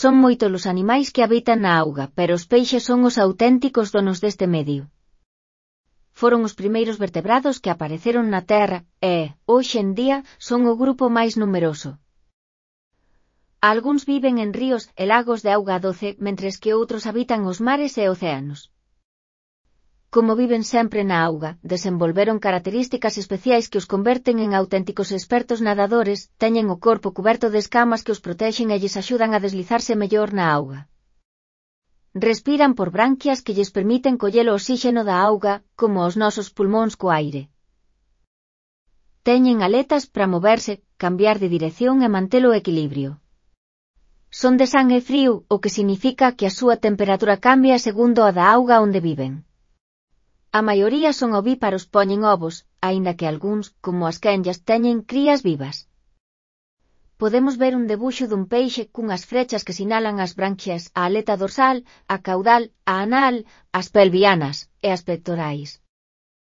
Son moitos os animais que habitan na auga, pero os peixes son os auténticos donos deste medio. Foron os primeiros vertebrados que apareceron na Terra e, hoxe en día, son o grupo máis numeroso. Algúns viven en ríos e lagos de auga doce, mentres que outros habitan os mares e océanos. Como viven sempre na auga, desenvolveron características especiais que os converten en auténticos expertos nadadores, teñen o corpo cuberto de escamas que os protexen e lles axudan a deslizarse mellor na auga. Respiran por branquias que lles permiten coller o oxígeno da auga, como os nosos pulmóns co aire. Teñen aletas para moverse, cambiar de dirección e manter o equilibrio. Son de sangue frío, o que significa que a súa temperatura cambia segundo a da auga onde viven. A maioría son ovíparos, poñen ovos, aínda que algúns, como as quenllas, teñen crías vivas. Podemos ver un debuxo dun peixe cunhas frechas que sinalan as branquias, a aleta dorsal, a caudal, a anal, as pelvianas e as pectorais.